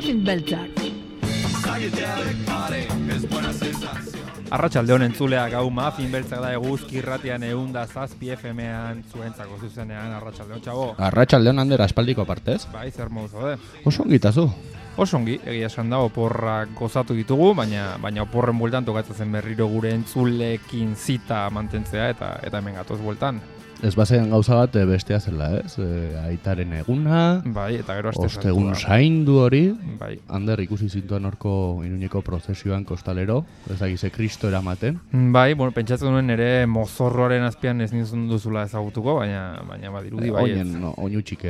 Muffin beltzak. Arratsaldeon entzuleak, hau Muffin beltzak da Eguzki irratian 107 FM-ean zuentzako zuzenean. Arratsaldeon, txabo. Arratsaldeon, Ander, aspaldiko partez. Bai, zer modu zaude? Oso ongitazu. Oso ongi, egia esan da, oporrak gozatu ditugu, baina oporren bueltan tokatzen berriro gure entzulekin zita mantentzea eta hemen gatoz bueltan. Ez bazen gauza bat bestea zela, ez? Aitaren eguna, bai, eta gero ostegun zaindu hori. Bai. Ander, ikusi zintuan horko Iruñeko prozesioan kostalero, ez dakize Kristo eramaten. Bai, bueno, pentsatzen duen ere mozorroaren azpian ez nizun duzula ezagutuko, baina badirudi bai. Oinutxik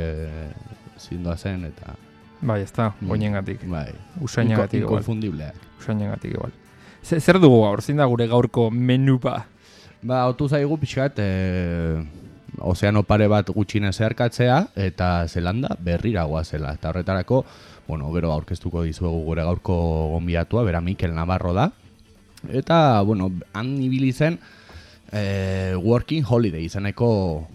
zindua zen eta... Bai, ez da, oinengatik. Bai. Usainagatik igual. Inkonfundibleak. Usainagatik igual. Zer dugu gaur, zein da gure gaurko menupa? Otu zaigu pixkat, ozeano pare bat gutxine zeharkatzea eta Zelanda berrira goazela. Eta horretarako, gero aurkeztuko dizuegu gure gaurko gonbidatua, bera Mikel Navarro da. Eta, han ibili zen Working Holiday izeneko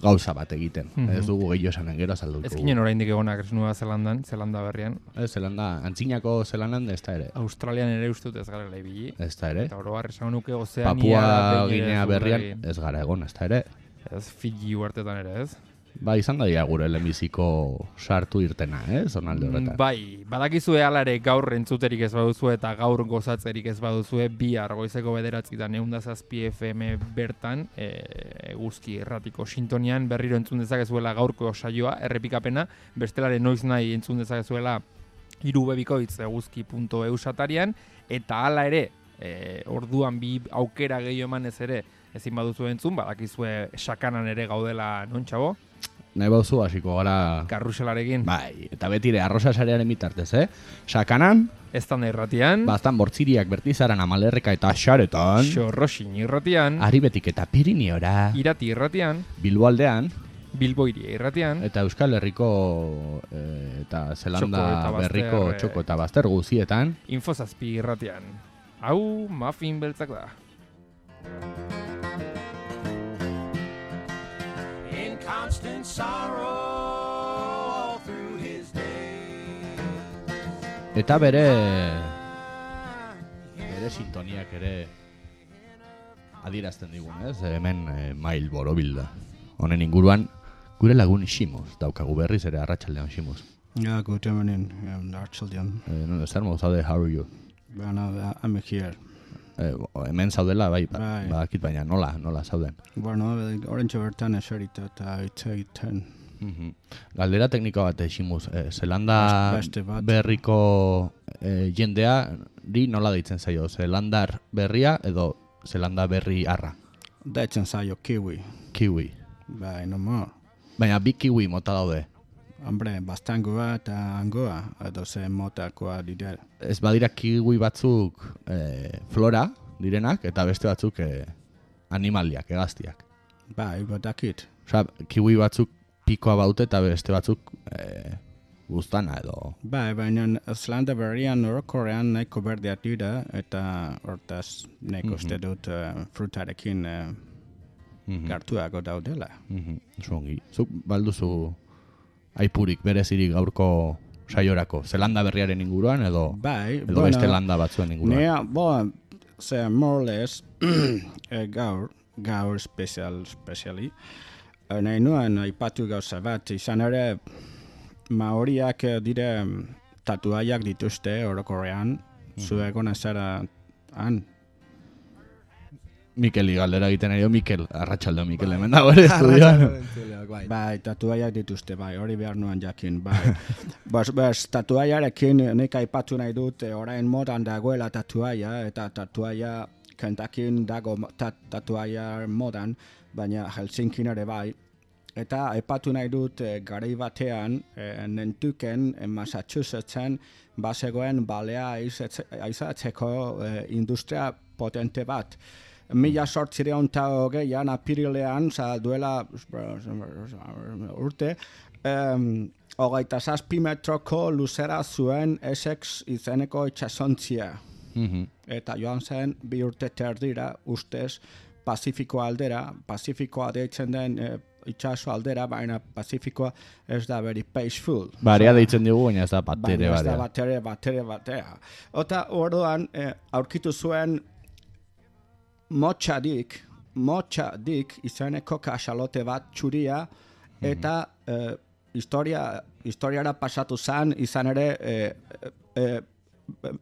gauza bat egiten. Ez dugu gehiago esanen, gero azalduko. Ez ginen oraindik egonak Nueva Zelandan, Zelanda berrian. Zelanda, antzinako Zelandan ez da ere. Australian ere ustut ez gara ibili. Ez da ere. Eta oroar esan nuke Ozeania... Papua Ginea berrian ez gara egon, ez da ere. Ez Fiji uartetan ere, ez? Ba, izan da gure lehenbiziko sartu irtena, zonalde horretan. Bai, badakizue alare gaur entzuterik ez baduzue eta gaur gozatzerik ez baduzue bihar goizeko 9:07 FM bertan Eguzki irratiko sintonian berriro entzun dezakezuela gaurko saioa, errepikapena, bestelare noiz nahi entzun dezakezuela irubebikoitz.eguzki.eu satarian, eta hala ere, orduan bi aukera gehiago emanez ere ezin baduzu entzun, badakizue sakanan ere gaudela non txabo? Nahi bauzu hasiko gara... Karruselarekin. Bai, eta betire, arrosa sarearen bitartez, Sakanan... Eztanda irratian. Baztan bortziriak bertizaran Amalerreka eta Xaretan. Xorroxin irratian. Aribetik eta Pirineora. Irati irratian. Bilboaldean. Bilboiria irratian. Eta Euskal Herriko eta Zelanda berriko txoko eta bazter guzietan. Infozazpi irratian. Hau, Muffin beltzak da. Constant sorrow through his day. Eta bere sintoniak ere adierazten digun, hemen mail borobilda. Honen inguruan gure lagun Ximos daukagu berriz ere arratsaldean Ximos. Ja, good evening, arratsaldean. Zer modu zaude, how are you? I'm here. Hemen zaudela, bai, badakit baina, nola zauden? Orentxe bertan eserita eta hitz egiten. Galdera tekniko bat, Ximuz, Zelanda berriko jendeari nola deitzen zaio? Zelandar berria edo Zelanda berri arra? Deitzen zaio kiwi. Kiwi. Bai, no more. Baina bi kiwi mota daude? Hombre, bastangoa eta angoa, edo ze motakoa dira. Ez badira kiwi batzuk flora direnak, eta beste batzuk animaliak, hegaztiak. Bai, badakit. Osa, kiwi batzuk pikoa baute eta beste batzuk guztana edo... Bai, baina Zelanda berrian orokorrean nahiko berdeak dira, eta hortaz nahiko uste dut frutarekin gartuago daudela. Zongi. Zuk balduzu aipurik berezirik gaurko saiorako, Zelanda berriaren inguruan edo beste landa batzuen inguruan? More or less, gaur specially, nahi nuen aipatu gauza bat, izan ere maoriak dire tatuaiak dituzte orokorrean, zuegona zara han. Mikeli galdera egiten ari, Mikel, arratsaldeo Mikel hemen dago ere estudioan. Bai, tatuaiak dituzte, bai, hori behar nuen jakin, bai. Tatuaiarekin nik aipatu nahi dut, orain modan dagoela tatuaia, eta tatuaia Kentakin dago tatuaia modan, baina Helsinkin ere bai. Eta aipatu nahi dut garai batean, Nentuken, Massachusettsen, bazegoen balea aizatzeko industria potente bat. 1808an apirilean, duela urte, 27 metroko luzera zuen Essex izeneko itxasontzia. Eta joan zen 2 urte terdira ustez Pazifiko aldera, Pazifikoa deitzen den itxaso aldera, baina Pazifikoa ez da very peaceful. Barea deitzen digu, baina ez da batere baina ez da barea. batea. Ota orduan aurkitu zuen motxadik izeneko kaxalote bat txuria, eta historiara pasatu zen, izan ere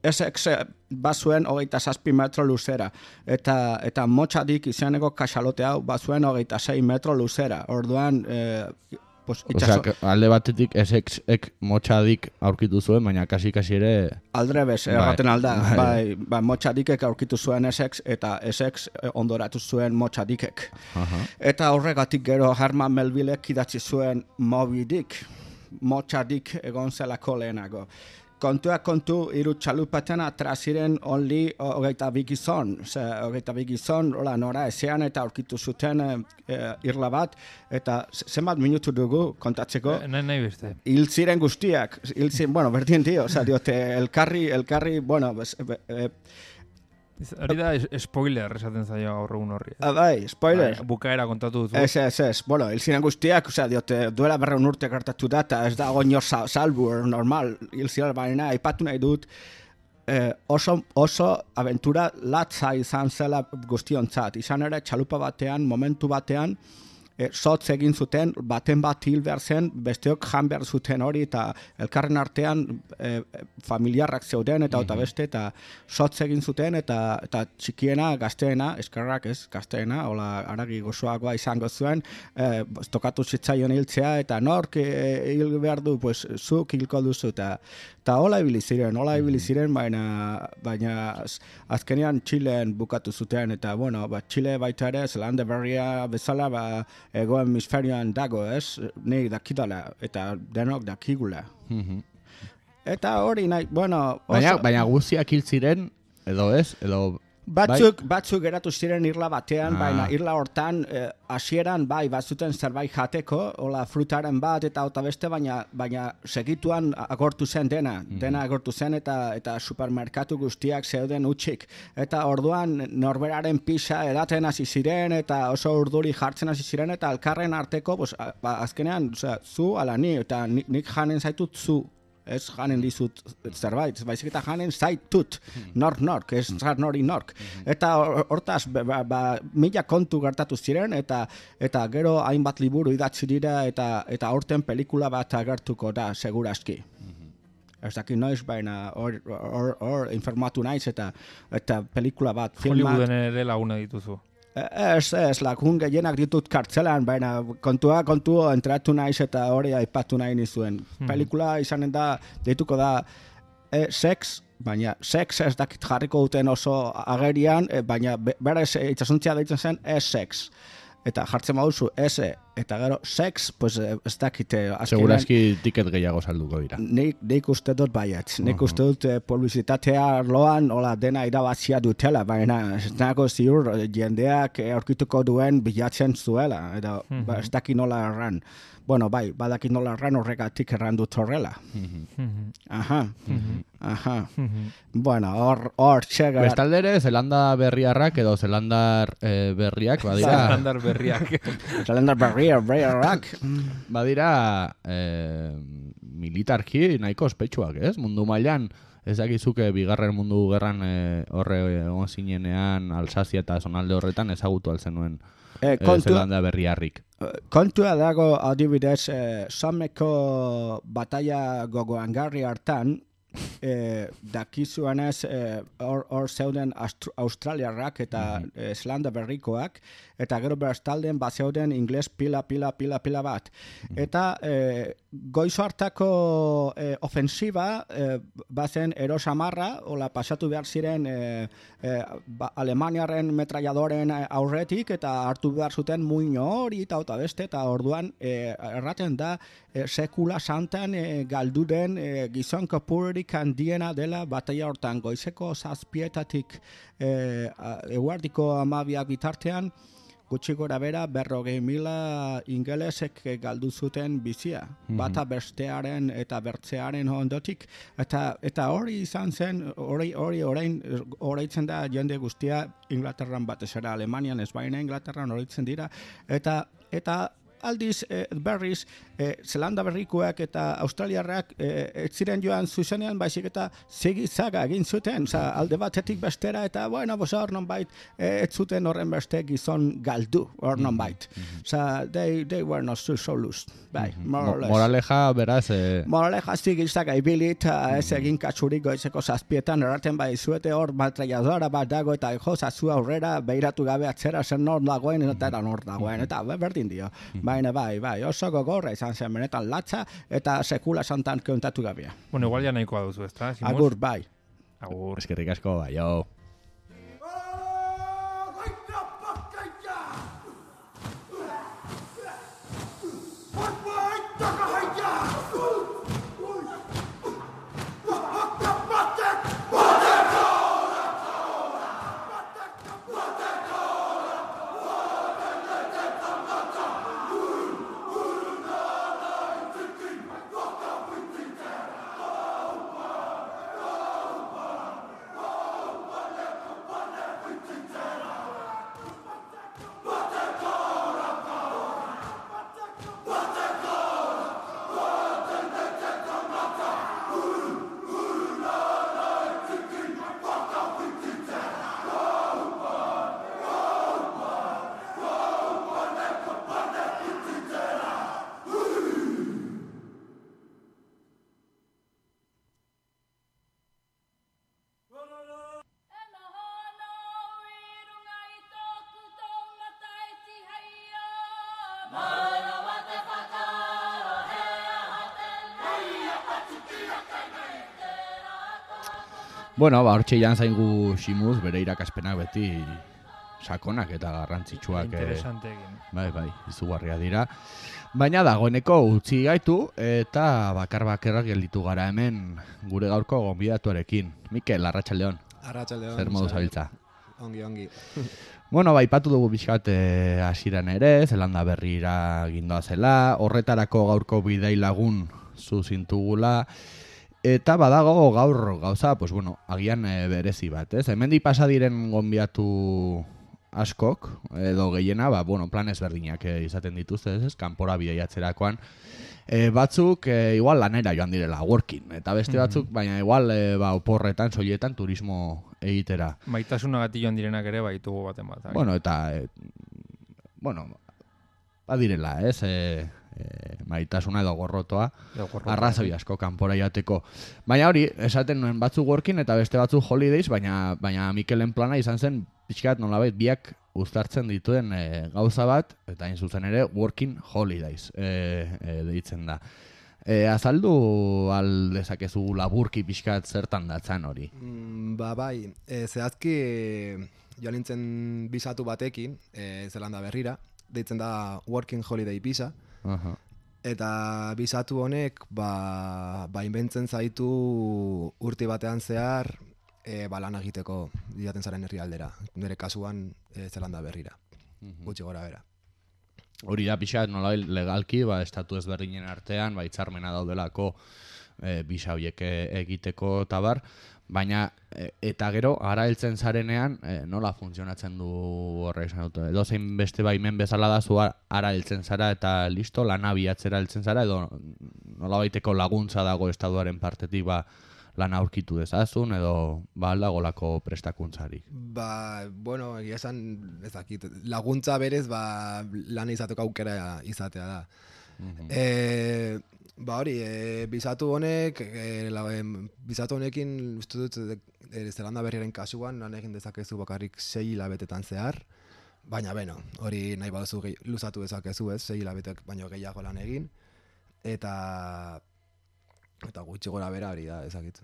Essex bazuen 27 metro luzera, eta motxadik izeneko kaxalote hau bazuen 26 metro luzera. Orduan, Osea, alde batetik Essexek motxadik aurkitu zuen, baina kasi ere... Aldrebes, erraten alda. Bai, motxadikek aurkitu zuen Essex, eta Essex ondoratu zuen motxadikek. Eta horregatik gero Herman Melvillek idatzi zuen Moby Dick, motxadik egon zelako lehenago. Kontu, hiru txalupaten atraziren only 22 gizon. 22 gizon, nora ezean eta aurkitu zuten irla bat, eta zenbat minutu dugu kontatzeko? Nahi beste. Hil ziren guztiak, bueno, berdin dio, diote, elkarri, bueno, hori da spoiler esaten zaio gaur egun horri. Bai, spoiler. Bukaera kontatu duzu. Ez. Bueno, hil ziren guztiak, diote, duela 200 urte gertatu data, ez da goñor salbu, normal, hil ziren baina, aipatu nahi dut, oso aventura latza izan zela guztiontzat. Izan ere, txalupa batean, momentu batean, sotz egin zuten, baten bat hil behar zen, besteok jan behar zuten hori, eta elkarren artean familiarrak zeuden, eta beste, eta sotz egin zuten, eta txikiena, gazteena, eskerrak ez, gazteena, hola, aragi gozoagoa izango zuen, tokatu zitzaion hiltzea, eta nork hil behar du, pues, zuk hilko duzu, eta hola ibili ziren, baina azkenean Txileen bukatu zuten, eta, bueno, Txile baita ere, Zelanda Berria bezala, ego hemisferioan dago, ez? Nik dakidala, eta denok dakigula. Eta hori nahi, bueno... Baina guztiak hil ziren, edo ez? Edo... Batzuk geratu ziren irla batean, baina irla hortan hasieran bai bazuten zerbait jateko, hola frutaren bat eta beste, baina segituan agortu zen dena agortu zen eta supermerkatu guztiak zeuden utxik. Eta orduan norberaren pisa edaten hasi ziren eta oso urduri jartzen hasi ziren eta elkarren arteko, azkenean, zu ala ni, eta nik janen zaitut zu. Ez janen dizut zerbait, baizik eta janen zaitut, nork, ez zar nori nork. Eta hortaz, mila kontu gertatu ziren, eta gero hainbat liburu idatzi dira, eta horten pelikula bat agertuko da, seguraski. Ez dakit noiz, baina hor informatu naiz, eta pelikula bat, filmat... Hollywooden ere laguna dituzu. Ez, lagun gehienak ditut kartzelan, baina kontu entratu naiz eta hori aipatu nahi nizuen. Pelikula izanen da, deituko da, sex, baina sex ez dakit jarriko duten oso agerian, baina berez itxasuntzia deitzen zen sex. Eta jartzen baduzu eta gero sex, pues ez dakite... Seguraski tiket gehiago salduko dira. Nik uste dut baiet. Nik uste dut publizitatea arloan dena irabazia dutela, baina ez nago ziur jendeak aurkituko duen bilatzen zuela. Eta ez daki nola erran. Bueno, bai, badakit nola erran horregatik erran dut horrela. Aha. Bueno, hor txegar... Bestaldere, Zelanda berriarrak edo Zelandar berriak, badira... Zelandar berriak. Zelandar berriarrak. Badira militarki nahiko ospetsuak, ez? Mundu mailan, ez dakizuke bigarren mundu gerran horre egon zinenean Alsazia eta zonalde horretan ezagutu altzen nuen Zelanda berriarrik. Kontua dago adibidez, Sommeko bataia gogoangarri hartan, dakizuanez hor zeuden australiarrak eta Zelanda berrikoak, eta gero beraztalden zeuden ingles pila bat. Eta goizo hartako ofensiba bazen erosamarra, hola pasatu behar ziren Alemaniaren metraiadoren aurretik, eta hartu behar zuten muino hori eta beste, eta orduan erraten da sekula santan galdu den gizon kopururik handiena dela bataia hortan, goizeko 7:00 eguerdiko 12 bitartean, gutxi gora bera 40.000 ingelesek galdu zuten bizia, bata bestearen eta bertzearen ondotik, eta hori izan zen, hori horreitzen da jende guztia Inglaterran batez ere, Alemanian ez baina Inglaterran horreitzen dira, eta aldiz berriz Zelanda berrikoak eta Australiarrak ez ziren joan zuzenean, baizik eta zaga egin zuten, alde batetik bestera, eta bueno, hor nonbait ez zuten horren beste gizon galdu, hor nonbait. They were not so loose, bai, more or less. Moraleja, beraz... Moraleja zigizaga ibili eta ez egin katsurik goizeko 7etan erraten bai zuete hor maltraiadora bat dago eta jozazu aurrera behiratu gabe atzera zen nor dagoen eta nor dagoen, eta berdin dio. Baina bai, oso gogorra izan zen benetan latza eta sekula santan kontatu gabea. Bueno, igual ja nahikoa duzu, ezta? Agur, bai. Agur. Eskerrik asko, bai, jo. Bueno, hortxe jan zaingu Ximuz, bere irakaspenak beti sakonak eta garrantzitsuak. Interesante egin. Bai, izugarria dira. Baina dagoeneko utzi gaitu eta bakar-bakarrak gelditu gara hemen gure gaurko gonbidatuarekin. Mikel, arratsaldeon. Arratsaldeon. Zer modu zabiltza? Ongi. Bueno, aipatu dugu pixkat hasieran ere, Zelanda berrira gindoa zela, horretarako gaurko bidai lagun zuzintugula, eta badago gaur gauza, pues bueno, agian berezi bat, ez? Hemendik pasa diren gonbidatu askok, edo gehiena, bueno, plan ezberdinak izaten dituzte, ez? Kanpora bidaiatzerakoan. Batzuk igual lanera joan direla, working, eta beste batzuk, baina igual oporretan, soiletan, turismo egitera. Maitasunagatik joan direnak ere baitugu baten bat. Bueno, eta, badirela, ez? Maitasuna edo gorrotoa, arrazoi asko kanpora jateko. Baina hori, esaten nuen batzuk working eta beste batzuk holidays, baina Mikelen plana izan zen pixkat nolabait biak uztartzen dituen gauza bat, eta hain zuzen ere working holidays deitzen da. Azaldu aldezakezu laburki pixkat zertan datzan hori? Bai, zehazki joan nintzen bizatu batekin, Zelanda berrira, deitzen da working holiday visa, eta bizatu honek inbentzen zaitu urte batean zehar lan egiteko diaten zaren herrialdera, nire kasuan Zelanda berrira, gutxi gora bera. Hori da pixat nola legalki, estatu ezberdinen artean, hitzarmena daudelako bisa horiek egiteko tabar, baina eta gero ara heltzen zarenean nola funtzionatzen du horrek esan dut. Edo zein beste baimen bezala da zu ara heltzen zara eta listo lana bilatzera heltzen zara edo nolabaiteko laguntza dago estatuaren partetik lana aurkitu dezazun edo aldagolako prestakuntzarik. Bueno, egia esan ez dakit. Laguntza berez lana izateko aukera izatea da. Hori, bizatu honekin uste dut Zelanda berriaren kasuan lan egin dezakezu bakarrik 6 hilabetetan zehar, baina hori nahi baduzu luzatu dezakezu, 6 hilabetek baino gehiago lan egin, eta gutxi gora bera hori da ezakit.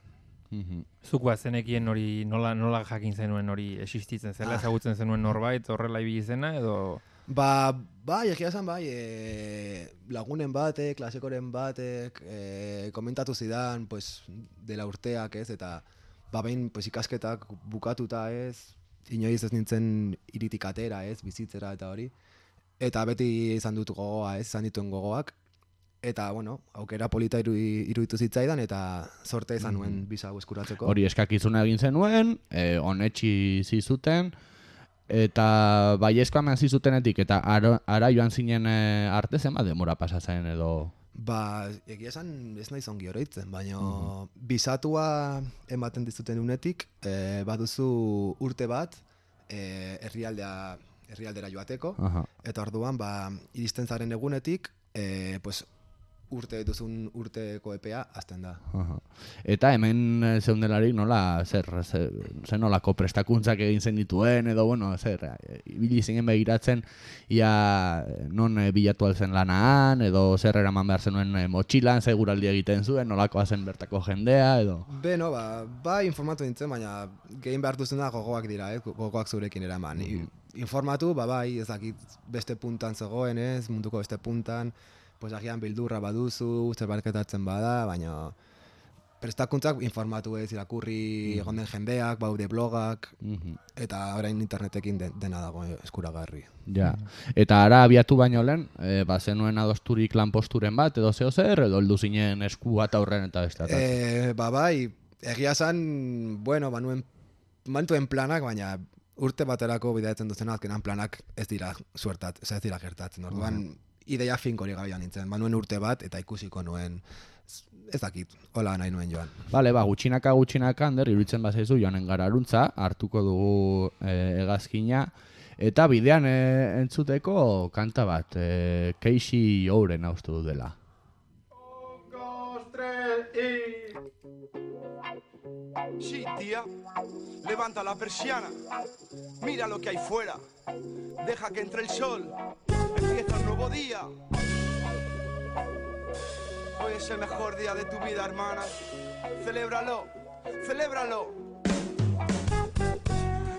Zuk zenekien hori nola jakin zenuen hori existitzen zela, ezagutzen zenuen norbait horrela ibili zena edo... Egia esan lagunen batek, klasekoren batek, komentatu zidan, dela urteak ez, eta behin ikasketak bukatuta ez, inoiz ez nintzen iritik atera ez, bizitzera eta hori, eta beti izan dut gogoa ez, izan dituen gogoak, eta aukera polita iruditu zitzaidan, eta sorte izan nuen bisa eskuratzeko. Hori eskakizuna egin zenuen, onetsi zizuten, Eta baiezkoa eman zizutenetik eta ara joan zinen arte zenbat demora pasa zen edo... Ba, egia esan ez naiz ongi oroitzen, baina bisatua ematen dizuten unetik, baduzu urte bat herrialdera joateko, eta orduan ba, iristen zaren egunetik, pues, urteko epea azten da. Eta hemen zeundelarik nola, zer nolako prestakuntzak egin zen dituen, edo bueno, ibili zinen begiratzen, ia non bilatu alzen lanaan, edo zer eraman behar zenuen motxilan, seguraldi egiten zuen, nolakoa zen bertako jendea, edo... Beno, ba informatu nintzen, baina gehin behar duzuna gogoak dira, gogoak zurekin eraman. Informatu, bai, ezakit beste puntan zegoen ez, munduko beste puntan, pues agian bildurra baduzu, zerbarketatzen bada, baina prestakuntzak informatu ez, irakurri egon den jendeak, baude blogak, eta orain internetekin dena dago eskuragarri. Ja, eta ara abiatu baino lehen, zenuen adosturik lanposturen bat, edo zeo zer, edo heldu zinen esku bat aurren eta beste? Bai, egia zan, bueno, mantuen planak, baina urte baterako bidaetzen duzen azkenan planak ez dira gertatzen. Orduan, ideia finkori gabian nintzen, nuen urte bat eta ikusiko nuen, ez dakit, hola nahi nuen joan. Bale, gutxinaka, Ander, iruditzen bazaizu joanen gara aruntza, hartuko dugu hegazkina, eta bidean entzuteko kanta bat, Casey Ouren haustu du dela. Sí, tía, levanta la persiana, mira lo que hay fuera, deja que entre el sol, empieza un nuevo día. Hoy es el mejor día de tu vida, hermana, celébralo, celébralo.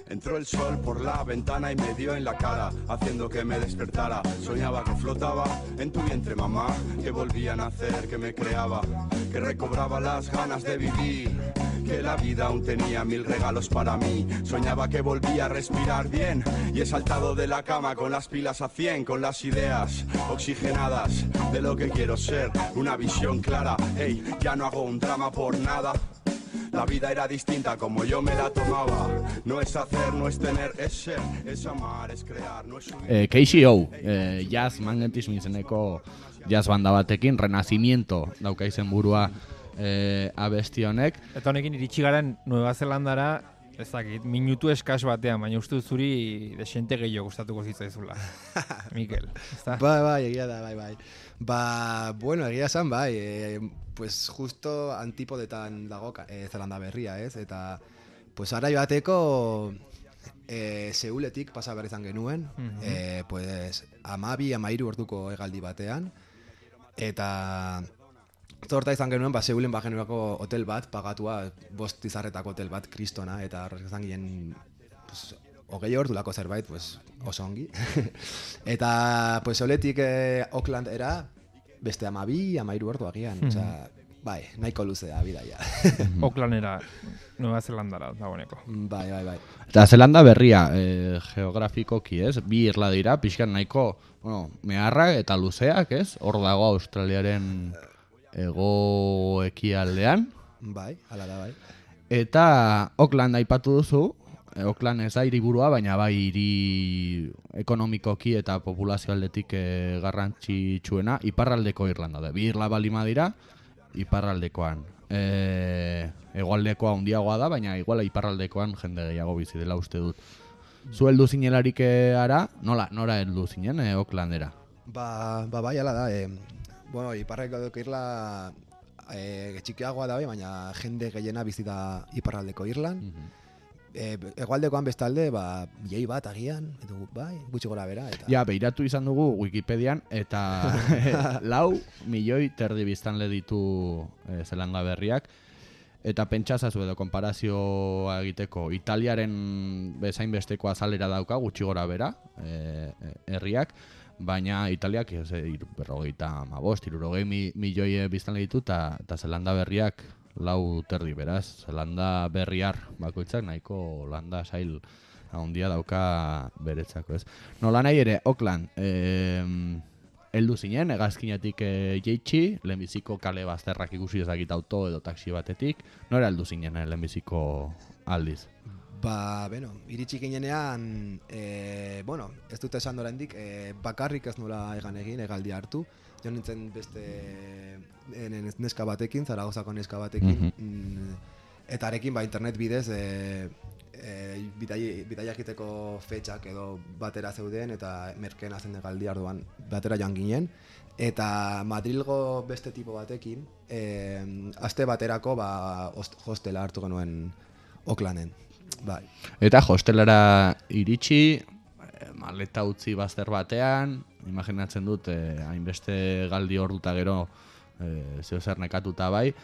Entró el sol por la ventana y me dio en la cara, haciendo que me despertara. Soñaba que flotaba en tu vientre, mamá, que volvía a nacer, que me creaba, que recobraba las ganas de vivir, que la vida aún tenía 1000 regalos para mí. Soñaba que volvía a respirar bien y he saltado de la cama con las pilas a 100, con las ideas oxigenadas de lo que quiero ser, una visión clara. Ey, ya no hago un drama por nada. La vida era distinta como yo me la tomaba. No es hacer, no es tener, es ser, es amar, es crear, no es subir. Casey O, jazz magnetismo izeneko jazz banda batekin, Renacimiento dauka izen burua abesti honek. Eta honekin iritsi garen Nueva Zelandara, ez dakit, minutu eskas batean, baina uste zuri desente gehiago gustatuko zitzaizula. Mikel, ezta? Bai, egia da, bai. Bueno, egia esan, pues justo antipodetan dago Zelanda berria, ez? Eta, pues ara joateko Seuletik pasa behar izan genuen, pues 12-13 orduko hegaldi batean, eta zorta izan genuen, Seulen bagenuako hotel bat, pagatua 5 izarretako hotel bat, kristona, eta horrek izan ginen, pues, 20 ordulako zerbait, pues, oso ongi. Eta, pues, Seuletik Auckland era, beste 12-13 ordu agian, osea, bai, nahiko luzea bidaia. Aucklandera, Nueva Zelandara dagoeneko. Bai. Eta Zelanda berria, geografikoki, ez? Bi irla dira, pixkan nahiko, bueno, meharrak eta luzeak, ez? Hor dago Australiaren hego ekialdean. Bai, hala da, bai. Eta Auckland aipatu duzu, Auckland ez da hiriburua, baina bai hiri ekonomikoki eta populazio aldetik garrantzitsuena, iparraldeko Irlanda da. Bi irla balima dira, iparraldekoan. Hegoaldekoa handiagoa da, baina iguala iparraldekoan jende gehiago bizi dela uste dut. Zu heldu zinelarik ara, nora heldu zinen Aucklandera? Bai, hala da. Bueno, iparraldeko irla txikiagoa da, baina jende gehiena bizi da iparraldeko Irlan. Hegoaldekoan bestalde, milioi bat agian, edo bai, gutxi gora bera. Eta... Ja, behiratu izan dugu Wikipedian, eta 4 milioi terdi biztanle ditu Zelanda berriak. Eta pentsazazu edo konparazioa egiteko, Italiaren bezain besteko azalera dauka, gutxi gora bera, herriak, baina Italiak 50 milioi biztanle ditu, eta Zelanda berriak 4 terdi, beraz, Zelanda berriar bakoitzak nahiko landa sail handia dauka beretzako, ez. Nola nahi ere, Auckland, heldu zinen, hegazkinetik jeitsi, lehenbiziko kale bazterrak ikusi ezakit auto edo taxi batetik, nora heldu zinen lehenbiziko aldiz? Iritsi ginenean, ez dut esan oraindik, bakarrik ez nola egan egin, egaldi hartu. Jo nintzen beste neska batekin, Zaragozako neska batekin, eta arekin internet bidez bidaia egiteko fetxak edo batera zeuden, eta merkena zen egaldi arduan batera joan ginen. Eta Madrilgo beste tipo batekin, aste baterako hostela hartu genuen Oaklanden. Bai. Eta hostelara iritsi, maleta utzi bazter batean, imaginatzen dut, hainbeste galdi orduta gero zeo zer nekatuta bai,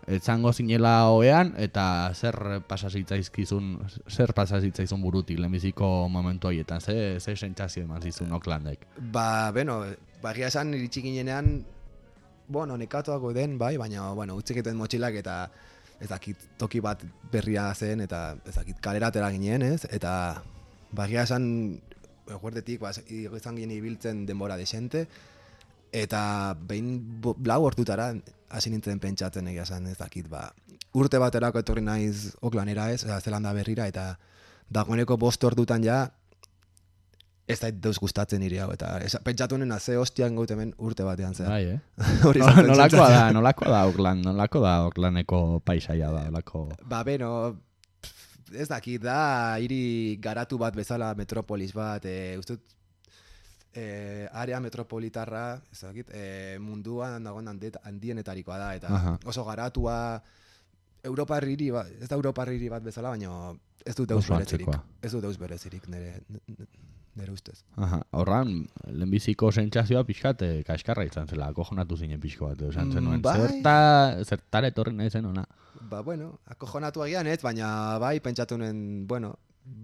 etzango zinela oean, eta zer pasa zitzaizun burutik lehenbiziko momentu horietan, ze sentsazio eman zizun Oaklandek? Bagia esan iritsi ginenean, nekatuako den, bai, baina, utzik egiten motxilak eta toki bat berria zen, eta kalera atera ginen, ez? Eta bagia esan, guardetik, izan ginen ibiltzen denbora desente, eta behin blau hortutara hasi nintzen pentsatzen egia esan, urte baterako etorri naiz Oaklandera, ez? Zelanda berrira, eta dagoeneko 5 ordutan ja, ez da deus gustatzen niri hau, eta pentsatu nena ze hostian gaut hemen urte batean zera. Bai, nolakoa da Oakland, nolako da Oaklandeko paisaia da, nolako... Ez dakit da, hiri garatu bat bezala metropolis bat, ustut, area metropolitarra, ez dakit, munduan dagoen handienetarikoa da, eta oso garatua, Europar hiri bat, ez da Europar hiri bat bezala, baina ez dut deus berezirik nire ustez. Horran, lehenbiziko sentsazioa pixkat kaskarra izan zela, akojonatu zinen pixko bat, esan zenuen, zertara etorri nahi zen ona. Akojonatu agian ez, baina bai, pentsatu nuen,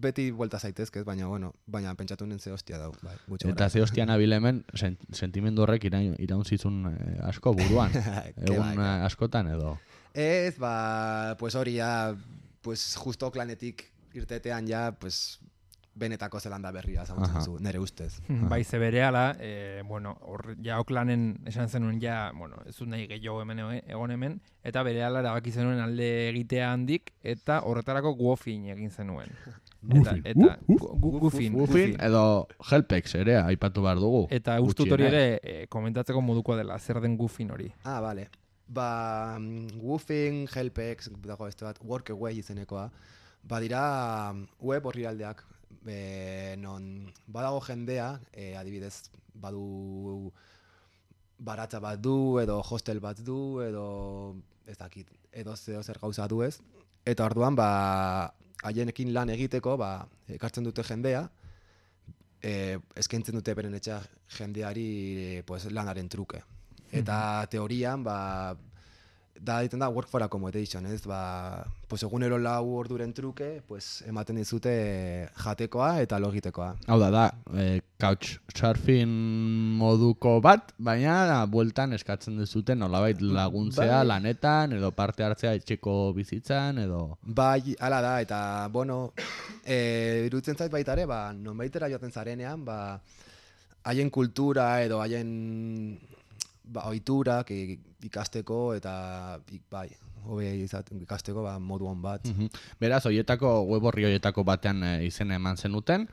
beti buelta zaitezkez, baina pentsatu nuen ze hostia dau. Eta ze hostia nabil hemen, sentimendu horrek iraun zizun asko buruan, egun askotan edo. Ez, hori ja, justo Oaklandetik irtetean ja, benetako Zelanda berria zautzen zu, nire ustez. Bai, zebereala, ja Oaklanden esan zenuen ja, ez dut nahi gehiago egon hemen, eta berehala erabaki zenuen alde egitea handik, eta horretarako Gufin egin zenuen. Gufin edo Helpex ere, aipatu behar dugu. Eta ustut hori ere, komentatzeko modukoa dela, zer den Gufin hori. Bale. Gufin, Helpex, dago beste bat, Workaway izenekoa, badira web orrialdeak, non badago jendea, adibidez, badu baratza bat du, edo hostel bat du, edo ez dakit, edo zer gauza du ez. Eta orduan, haienekin lan egiteko, ekartzen dute jendea, eskaintzen dute beren etxea jendeari lanaren truke. Eta teorian, da egiten da work for accommodation, ez? Egunero 4 orduren truke, ematen dizute jatekoa eta lo egitekoa. Hau da, couchsurfing moduko bat, baina bueltan eskatzen dizute nolabait laguntzea lanetan, edo parte hartzea etxeko bizitzan, edo... Bai, hala da, eta, iruditzen zait baita ere, nonbaitera joaten zarenean, haien kultura edo haien ohiturak ikasteko eta ikasteko modu on bat. Beraz, web orri horietako batean izena eman zenuten,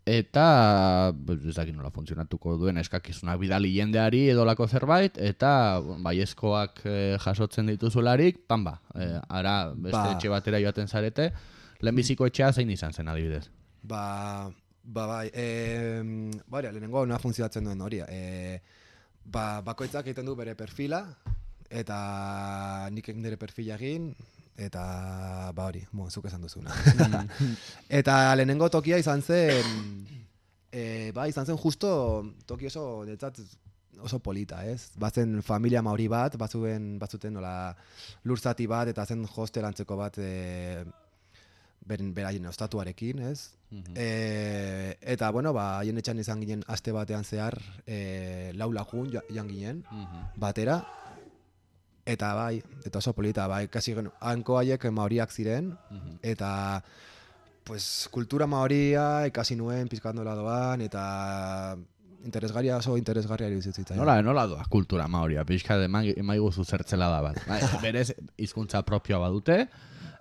eta ez dakit nola funtzionatuko duen eskakizunak bidali jendeari edolako zerbait, eta baiezkoak jasotzen dituzularik, ara beste etxe batera joaten zarete, lehenbiziko etxea zein izan zen adibidez? Lehenengo nola funtzionatzen duen hori. Bakoitzak egiten du bere perfila, eta nik nire perfila egin, eta zuk esan duzuna. Eta lehenengo tokia izan zen, justo toki oso polita, ez? Bazen familia maori bat, batzuten nola lurzati bat, eta zen hostel antzeko bat beraien ostatuarekin, ez? Eta, haien etxan izan ginen aste batean zehar 4 lagun joan ginen, batera, eta eta oso polita, kasi hanko haiek maoriak ziren, eta kultura maoria ikasi nuen pizkat nola doan, eta oso interesgarria iruditzen. Nola doa kultura maoria, pixka emaiguzu zertzela da bat. Berez, hizkuntza propioa badute,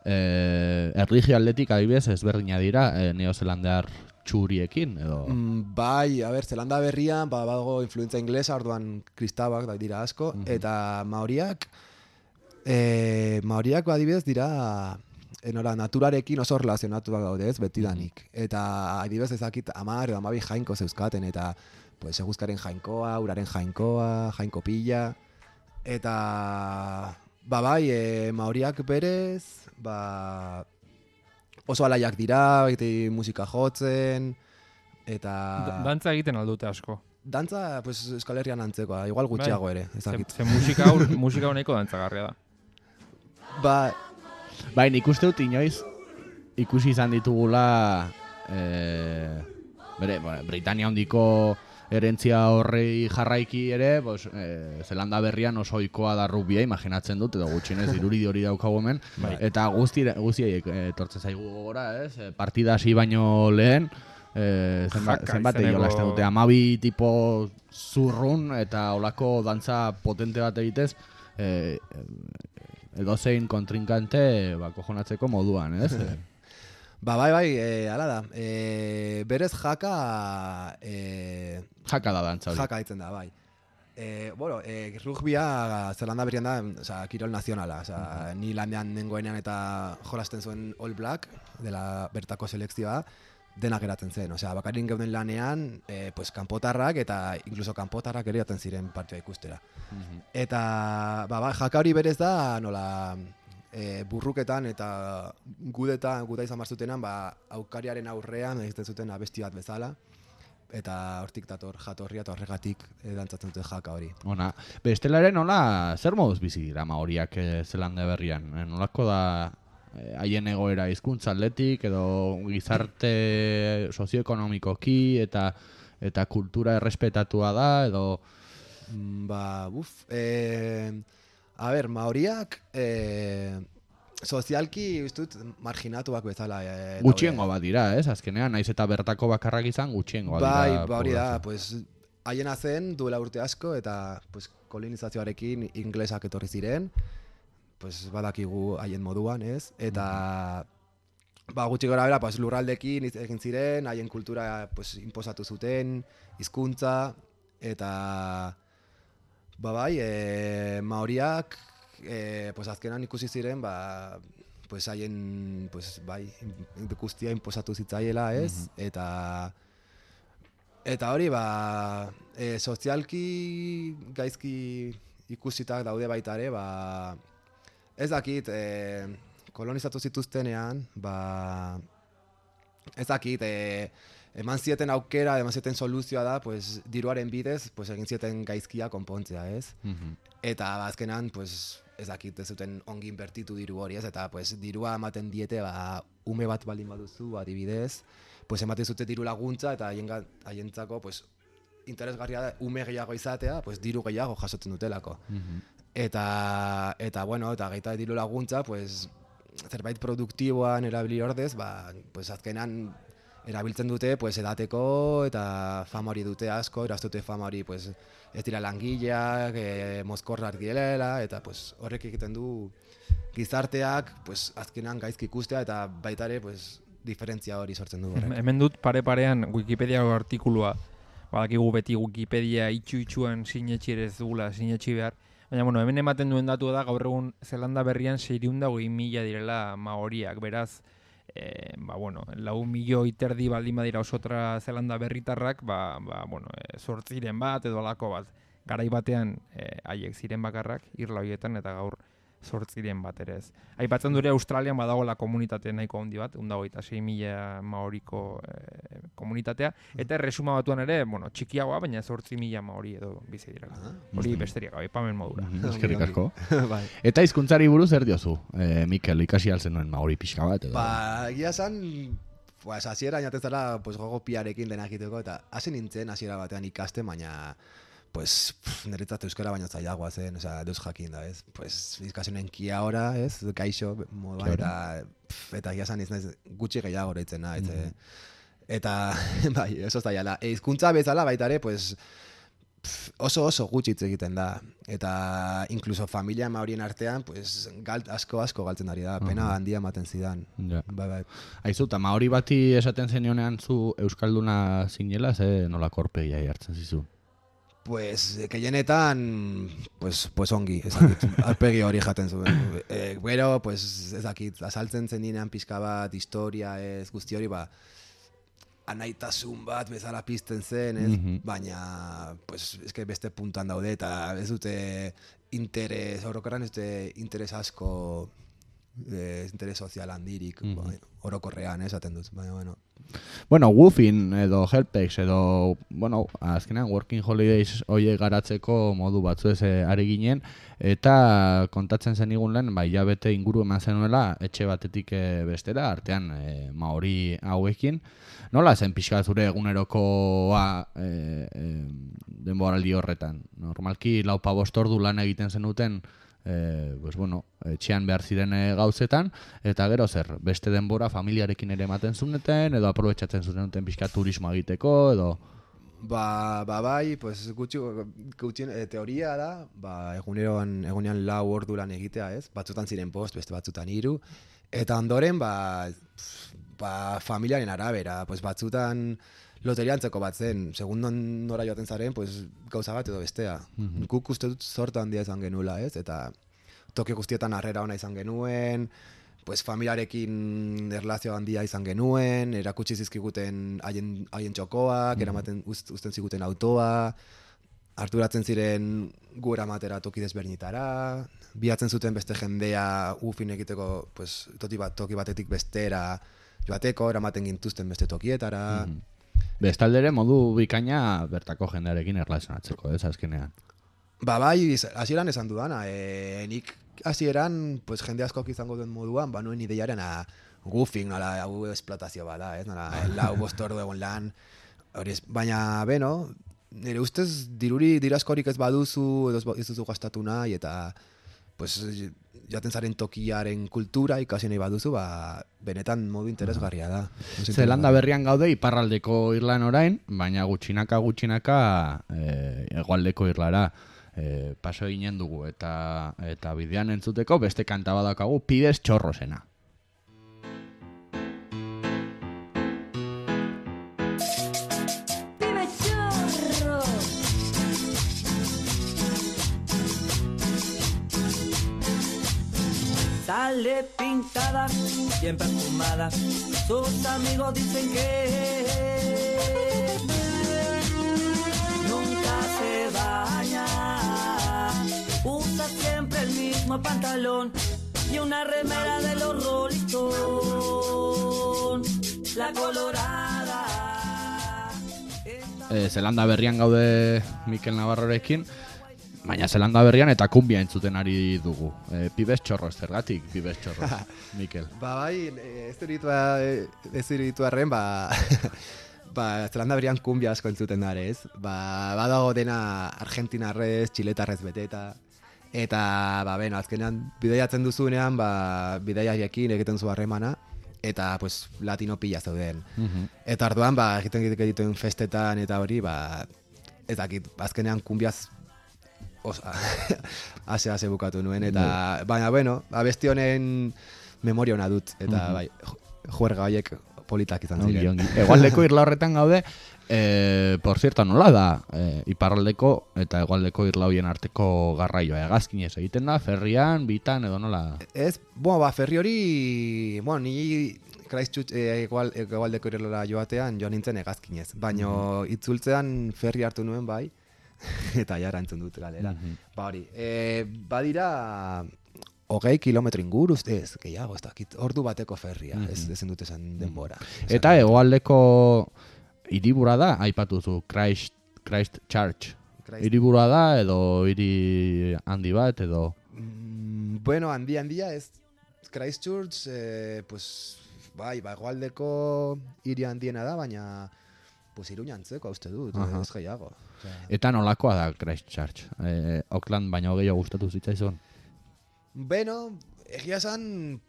erlijio atletik adibidez ezberdina dira neozelandear txuriekin, edo... Bai, Zelanda berrian, badago influentza inglesa, orduan kristabak dira asko, eta maoriak adibidez dira naturarekin oso relazionatuak daude ez, betidanik. Eta adibidez ezakit 10 edo 12 jainko zeuzkaten, eta pues, eguzkaren jainkoa, uraren jainkoa, jainko pila, eta bai, maoriak berez, oso alaiak dira, musika jotzen, eta... Dantza egiten aldute asko. Dantza, pues, Euskal Herrian antzekoa, igual gutxiago ere, ezakit. Ze musika honeko dantzagarria da. Bai, nik uste dut inoiz ikusi izan ditugula Britania hondiko herentzia horrei jarraiki ere, Zelanda berrian oso ohikoa da rugbia, imaginatzen dut, edo gutxienez irudi hori daukagu hemen, eta guztiei etortzen zaigu gogora, ez? Partida hasi baino lehen, zenbat jolasten dute, 12 tipo zurrun eta olako dantza potente bat egitez, edozein kontrinkante kojonatzeko moduan, ez? Bai, hala da. Berez jaka... Jaka da dantza hori. Jaka ditzen da, bai. Rugbia Zelanda berrian da, kirol nazionala. Ni landean nengoenean eta jolasten zuen All Black, dela bertako selekzioa, denak geratzen zen. Bakarin geuden lanean, kanpotarrak eta incluso kanpotarrak ere jaten ziren partida ikustera. Eta jaka hori berez da, nola... burruketan eta guda izan barzutenan, aukariaren aurrean egiten zuten abesti bat bezala, eta hortik dator jatorria eta horregatik dantzatzen dute jaka hori. Ona, bestelaren nola, zer moduz bizi dira maoriak Zelanda berrian? Nolako da haien egoera hizkuntza atletik edo gizarte sozioekonomikoki eta kultura errespetatua da edo... maoriak sozialki ustut marginatuak bezala. Gutxiengo bat dira, ez? Azkenean, naiz eta bertako bakarrak izan gutxiengo bat dira. Bai, hori da, haiena zen duela urte asko eta kolonizazioarekin inglesak etorri ziren, badakigu haien moduan, ez? Eta gutxi gora bera, lurraldekin egin ziren, haien kultura inposatu zuten, hizkuntza, eta... maoriak azkenan ikusi ziren haien guztia inposatu zitzaiela, ez? Eta hori sozialki gaizki ikusitak daude baita ere, ez dakit kolonizatu zituztenean, ez dakit eman zieten aukera, eman zieten soluzioa da, diruaren bidez, egin zieten gaizkia konpontzea, ez? Eta azkenan, ez dakit, ez zuten ongi inbertitu diru hori, ez? Eta dirua ematen diete, ume bat baldin baduzu, adibidez, ematen zute diru laguntza, eta haientzako, interesgarria da, ume gehiago izatea, diru gehiago jasotzen dutelako. Eta gaita diru laguntza, zerbait produktiboan erabili ordez, azkenan, erabiltzen dute edateko eta fama hori dute asko, eraztute fama hori ez dira langileak, mozkorrak direla, eta horrek egiten du gizarteak azkenan gaizki ikustea eta baita ere diferentzia hori sortzen du horrek. Hemen dut pare-parean Wikipediako artikulua, badakigu beti Wikipedia itxu-itxuan sinetxi ere ez dugula sinetxi behar, baina hemen ematen duen datu da gaur egun Zelanda berrian 620.000 direla maoriak, beraz 4 milioi baldin badira osotra Zelanda berritarrak, 8 bat edo alako bat. Garai batean haiek ziren bakarrak, irla horietan, eta gaur 8 bat ere ez. Aipatzen dure Australian badagoela komunitate nahiko handi bat, 126.000 maoriko komunitatea, eta erresuma batuan ere, txikiagoa, baina 8.000 maori edo bizi direla. Hori besteriak, aipamen modura. Eskerrik asko. Eta hizkuntzari buruz zer diozu, Mikel, ikasi altzen nuen maori pixka bat? Egia esan, hasiera inatezala gogo piarekin denak egiteko, eta hasi nintzen hasiera batean ikasten, baina niretzat euskara baino zailagoa zen, deus jakin da, ez? Izkasionen kia ora, ez? Kaixo, moduan, eta egia esan gutxi gehiago deitzen da, Eta, bai, oso zaila. Hizkuntza bezala baita ere, pues, oso gutxi hitz egiten da. Eta inkluso familia maorien artean, pues, asko galtzen ari da. Pena handia ematen zidan. Ja. Bai. Aizu, eta maori bati esaten zenionean zu euskalduna zinela, ze nola korpegia jartzen zizu? Pues, gehienetan, pues ongi, ezakit, arpegi hori jaten zuen. Gero, pues, ezakit, azaltzen zen dinean pixka bat, historia ez, guzti hori, anaitasun bat bezala pizten zen, ez? Baina, pues, eske beste puntuan daude, eta ez dute interes, orokorran ez dute interes asko, interes sozial handirik, orokorrean, esaten dut, baina, bueno. Bueno, Woofing edo Helpex edo, bueno, azkenean Working Holidays hoie garatzeko modu batzu ez ari ginen, eta kontatzen zenigun lehen, hilabete inguru eman zenuela, etxe batetik bestera, artean maori hauekin. Nola zen pixka zure egunerokoa denboraldi horretan? Normalki 4-5 ordu lan egiten zenuten, pues bueno, etxean behar ziren gauzetan, eta gero zer, beste denbora familiarekin ere ematen zuneten, edo aprobetxatzen zuten pixka turismo egiteko, edo... Bai, pues gutxien teoria da, egunean 4 ordu lan egitea, ez? Batzutan ziren 5, beste batzutan 3, eta ondoren, familiaren arabera, pues batzutan loteriantzeko bat zen, segun nora joaten zaren, pues gauza bat edo bestea. Guk uste dut sorta handia izan genula, ez? Eta toki guztietan harrera ona izan genuen, pues familiarekin erlazio handia izan genuen, erakutsi zizkiguten haien txokoak, eramaten uzten ziguten autoa, harturatzen ziren gu eramatera toki desberdinetara, bilatzen zuten beste jendea ufin egiteko, pues, toki batetik bestera joateko, eramaten gintuzten beste tokietara. Bestaldere modu bikaina bertako jendearekin erlazionatzeko, ez azkenean. Bai, hasieran esan dudana, nik hasieran pues, jende askok izango duen moduan, nuen ideiaren goofing, nola, hau esplotazio bada, ez? Nola, 4-5 ordu egon lan, baina, beno, nire ustez diru askorik ez baduzu, edo ez duzu gastatu nahi, eta pues, jaten zaren tokiaren kultura ikasi nahi baduzu, benetan modu interesgarria da. Zelanda berrian gaude iparraldeko irlan orain, baina gutxinaka hegoaldeko irlara paso eginen dugu, eta bidean entzuteko beste kanta badakagu Pibes Txorrosena. Sale pintada, bien perfumada, sus amigos dicen que nunca se baña, usa siempre el mismo pantalón y una remera de los Rolling Stones, la colorada. Zelanda berrian gaude Mikel Navarrorekin, baina Zelanda berrian eta kumbia entzuten ari dugu. Pibes Txorros, zergatik Pibes Txorros, Mikel? Bai, ez diritu arren, Zelanda berrian kumbia asko entzuten dara, ez? Badago dena argentinarrez, txiletarrez beteta, eta, azkenean bidaiatzen duzunean, bidaiariekin egiten zu harremana, eta, pues, latino pila zeuden. Eta arduan, egiten dituen festetan eta hori, ezakit, azkenean kumbiaz ase bukatu nuen, eta baina, abesti honen memoria hona dut, eta juerga horiek politak izan ziren. Hegoaldeko irla horretan gaude, por cierto, nola da iparraldeko eta hegoaldeko irla horien arteko garraioa, hegazkinez egiten da, ferrian, bitan, edo nola? Ez, ferri hori, ni Christchurch hegoaldeko irla joatean joan nintzen hegazkinez, baina itzultzean ferri hartu nuen bai, eta jara entzun dut galera. Badira 20 kilometro inguru, ez, gehiago, ez dakit, ordu bateko ferria, ezen dut esan denbora. Eta hegoaldeko hiribura da, aipatu zu, Christchurch. Hiriburua da, edo hiri handi bat, edo... Handia ez, Christchurch, hegoaldeko hiri handiena da, baina Iruña antzeko, uste dut, ez gehiago. Eta nolakoa da Christchurch? Auckland baino gehiago gustatu zitzaizun? Egia esan,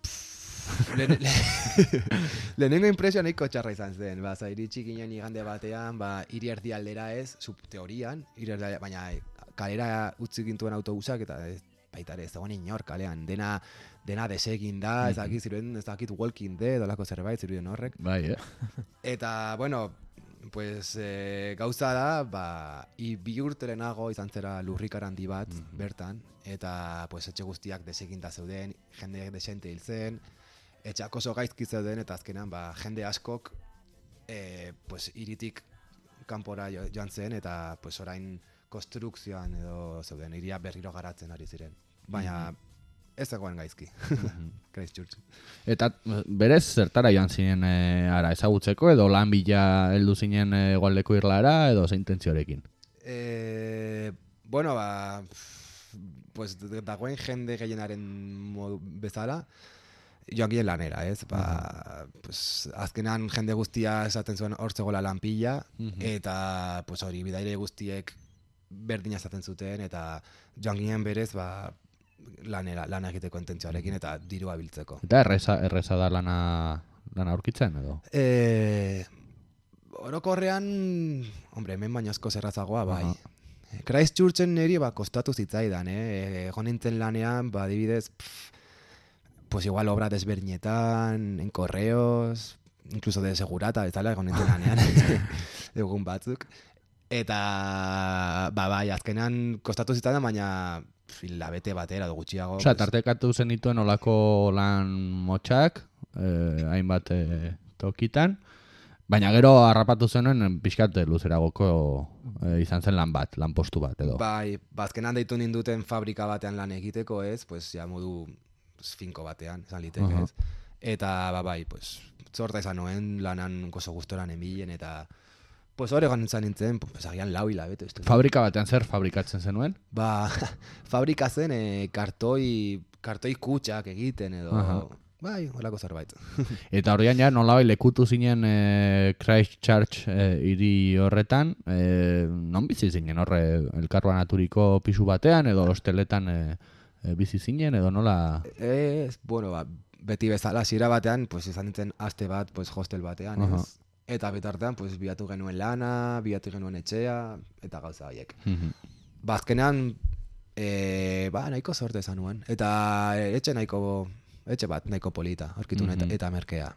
Lehenengo impresioa nahiko txarra izan zen. Ba, iritsi ginen igande batean, ba, hiri erdialdera ez, teorian, baina kalera utzi gintuen autobusak eta baita ere ez dagoen inor kalean. Dena desegin da, ez dakit Walking Dead, olako zerbait, zirudien horrek. Bai, Eta, bueno, pues gauza da, ba, bi urte lehenago izan zera lurrikar handi bat bertan, eta pues etxe guztiak deseginda zeuden, jende desente hil zen, etxeak oso gaizki zeuden, eta azkenan ba, jende askok pues iritik kanpora joan zen, eta pues orain konstrukzioan edo zeuden, iria berriro garatzen ari ziren. Baina ez zegoen gaizki. Christchurch. Eta berez zertara joan zinen ara ezagutzeko edo lan bila heldu zinen hegoaldeko Irlara edo ze intentziorekin? Bueno, ba, pues dagoen jende gehienaren modu bezala, joan ginen lanera, ez? Ba, pues, azkenan jende guztia esaten zuen hor zegoela lan pila, eta pues hori bidaire guztiek berdina esaten zuten, eta joan ginen berez, ba, lan egiteko intentzioarekin eta dirua biltzeko. Eta erreza da lana aurkitzen edo? Orokorrean, hombre, hemen baino asko zerrazagoa, bai. Christchurchen niri ba, kostatu zitzaidan, egon nintzen lanean, ba, adibidez, pues igual obra desberdinetan, en correos, incluso de segurata, bezala egon nintzen lanean, egun batzuk. Eta, ba, bai, azkenan kostatu zitzaidan, baina hilabete batera edo gutxiago. Osea, tartekatu zenituen olako lan motxak, hainbat tokitan, baina gero harrapatu zenuen pixkat luzeragoko izan zen lan postu bat edo. Bai, azkenan deitu ninduten fabrika batean lan egiteko ez, pues ja modu finko batean, esan liteke ez. Eta, bai, pues, zorta izan nuen lanan gozo gustoran emilen eta pues hori egon nintzen, pues agian 4 hilabete. Fabrika batean zer fabrikatzen zenuen? Ba, fabrika zen kartoi kutxak egiten edo, bai, holako zerbait. Eta horian ja nolabai lekutu zinen Christchurch hiri horretan, non bizi zinen horre elkarbanaturiko pisu batean edo hosteletan bizi zinen edo nola? Bueno, ba, beti bezala, hasiera batean, pues izan nintzen aste bat, pues hostel batean, ez? Eta betartean, pues, biatu genuen lana, biatu genuen etxea, eta gauza horiek. Ba, azkenean, ba, nahiko sorte esan nuen. Eta etxe bat nahiko polita, aurkitu eta merkea.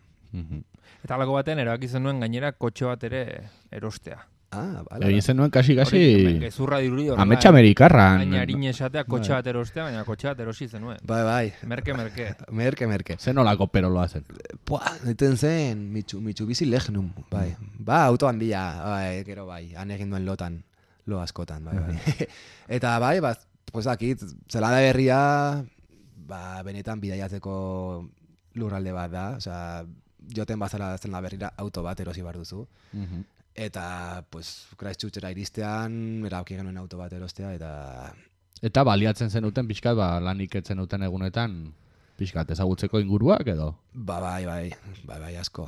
Eta alako batean erabaki zenuen gainera kotxe bat ere erostea. Bala. Egin zenuen kasi gezurra dirudi horrela. Ametsa amerikarran. Baina harin esatea kotxe bat erostea, baina kotxe bat erosi zenuen. Bai. Merke. Zen olako peroloa zen? Neten zen, Mitsubishi Legnum, bai. Ba, auto handia, bai, gero bai, han egin duen lo askotan, bai. Eta bai, pues akit, Zelanda Berria, ba, benetan bidaiatzeko lurralde bat da, osea, joten bazara Zelanda Berrira auto bat erosi bar duzu. Eta, pues, Christchurchera iristean, erabaki genuen auto bat erostea, Eta baliatzen zenuten pixkat, ba, lanik etzen duten egunetan, pixkat ezagutzeko inguruak edo? Bai, asko.